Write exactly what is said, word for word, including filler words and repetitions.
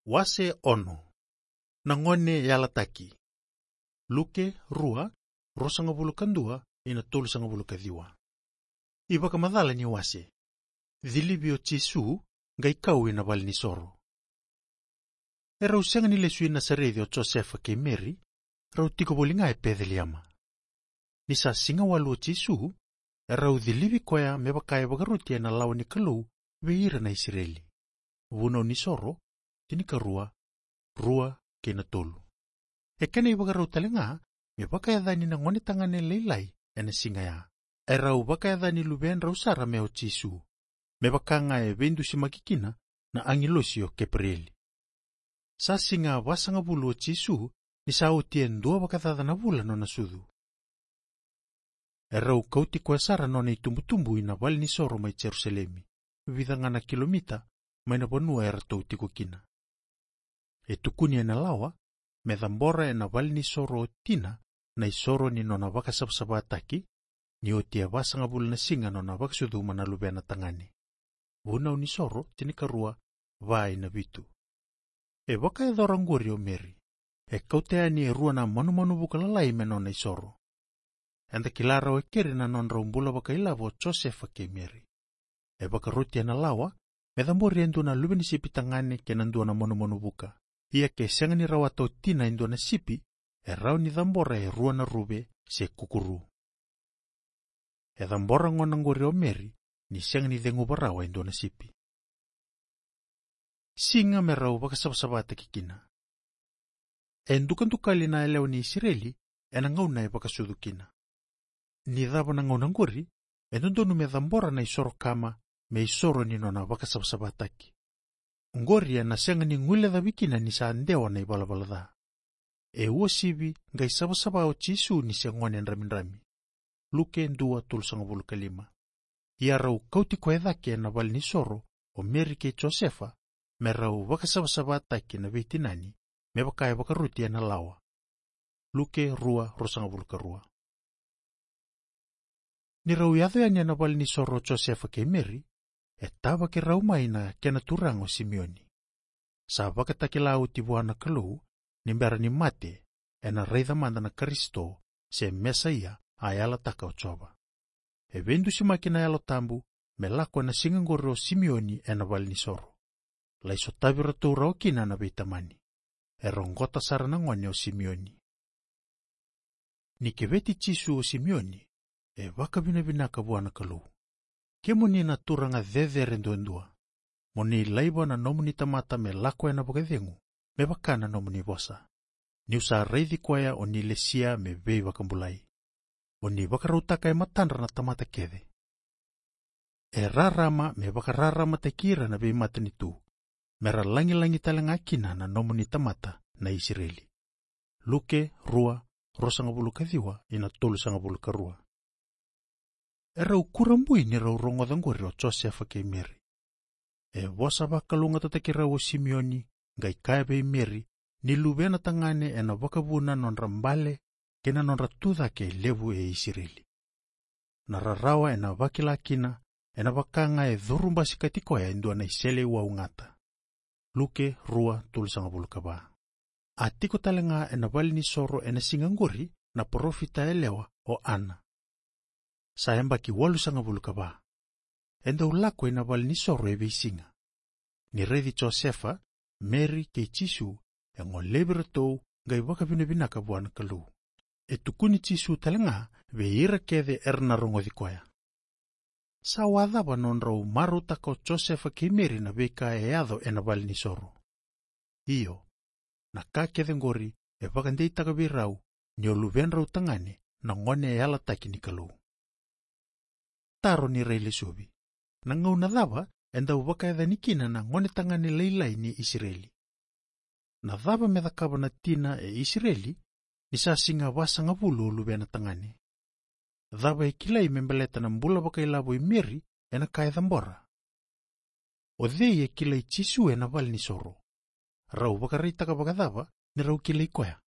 Wase ono. Na gone yalataki. Luke rua, ruasagavulu ka dua ina tolusagavulu ka ciwa. Ivakamacala ni wase. Cilivi o Jisu, qai kau ina valenisoro. E rau sega ni lesu i Nasareci o Josefa kei Meri, rau tiko voli ga e Peceliema. Ni sa siga walu o Jisu, e rau cilivi koya me vaka e vakaroti ena lawa ni Kalou vei ira na Isireli. Vunau ni Soro, tinikarua, rua kei na tolu. E kena ivakarau tale ga me vakayacani na gone tagane lailai ena siga ya. E rau vakayacani luvedrau sara me o Jisu, me vaka ga e veidusimaki kina na agilosi o Keperieli. Sa siga vasagavulu o Jisu ni sa oti e dua vakacaca na vula nona sucu. E rau kauti koya sara nona itubutubu ina valenisoro mai Jerusalemi, vica ga na kilomita mai na vanua e ratou tiko kina. E tukuni ena lawa me cabora ena valenisoro o tina na isoro ni nona vakasavasavataki, ni oti e vasagavulu na siga nona vakasucuma na luvena tagane. Vunau ni Soro, tinikarua, va ina vitu. E vakayacora oqori o Meri. E kauta yani e rua na manumanu vuka lalai me nona isoro. Eda kila rawa e keri na nodrau bula vakailavo o Josefa kei Meri. E vakaroti ena lawa me cabori e dua na luve ni sipi tagane kei na dua na manumanu vuka. Ia ke sega ni rawata o tina e dua na sipi, e rawa ni cabora e rua na ruve se kukuru. E cabora gona oqori o Meri ni sega ni ceguva rawa e dua na sipi. Siga me rau vakasavasavataki kina. E dukadukali na yalewa ni Isireli ena gauna e vakasucu kina. Ni cava na gauna oqori, e dodonu me cabora na isoro kama me isoro ni nona vakasavasavataki. Oqori ena sega ni guilecavi kina ni sa dewa na ivalavala ca. E uasivi qai savasava o Jisu ni se gone dramidrami. Luke dua, tolusagavulu ka lima. Ia rau kauti koya cake ena valenisoro o Meri kei Josefa, me rau vakasavasavataki na veitinani me vaka e vakaroti ena lawa. Luke rua, ruasagavulu ka rua. Ni rau yaco yani ena valenisoro o Josefa kei Meri, e tavaki rau mai na kena turaga o Simioni. Sa vakatakila oti vua na Kalou ni bera ni mate, ena raica mada na Karisito se Mesaia a yalataka o Jiova. E veidusimaki na Yalo Tabu me lako ena siga oqori o Simioni ena valenisoro. Lai sotavi iratou rawa kina na veitamani. E roqota sara na gone o Simioni. Ni keveti Jisu o Simioni, e vakavinavinaka vua na Kalou. Kemuni na Turaga cecere duadua, mo ni laiva na nomuni tamata me lako ena vakacegu, me vaka na nomuni vosa. Niu sa raici koya o ni lesia me veivakabulai. O ni vakarautaka e matadra na tamata kece. E rarama me vakararamataki ira na veimatanitu, me ra lagilagi tale ga kina na nomuni tamata na Isireli. Luke rua, ruasagavulu ka ciwa ina tolusagavulu ka rua. E rau kurabui ni rau rogoca oqori o Josefa kei Meri. E vosa vakalougatataki rau o Simioni, qai kaya vei Meri, ni luvena tagane ena vakavuna nodra bale kei na nodra tucake e levu e Isireli. Na rarawa ena vakila kina, ena vaka ga e curu basikati koya e dua na iseleiwau gata. Luke rua, tolusagavulu ka va. A tiko tale ga ena valenisoro ena siga oqori na parofita yalewa o Ana. Sa yabaki walusagavulu ka va. E dau lako ina valenisoro e veisiga. Ni raici Josefa, Meri kei Jisu, e golevi iratou qai vakavinavinaka vua na Kalou. E tukuni Jisu tale ga vei ira kece era na rogoci koya. Sa wacava nodrau marautaka o Josefa kei Meri na veika e yaco ena valenisoro. Io, na ka kece oqori e vakadeitaka vei rau ni o luvedrau tagane na gone e yalataki ni Kalou. Taro ni railesuvi. Na gauna cava e dau vakayacani kina na gone tagane lailai ni Isireli? Na cava me cakava na tina e Isireli ni sa siga vasagavulu o luvena tagane? Cava e kilai me baleta na bula vakailavo i Meri ena ka e cabora? O cei e kilai Jisu ena valenisoro? Rau vakaraitaka vakacava ni rau kilai koya?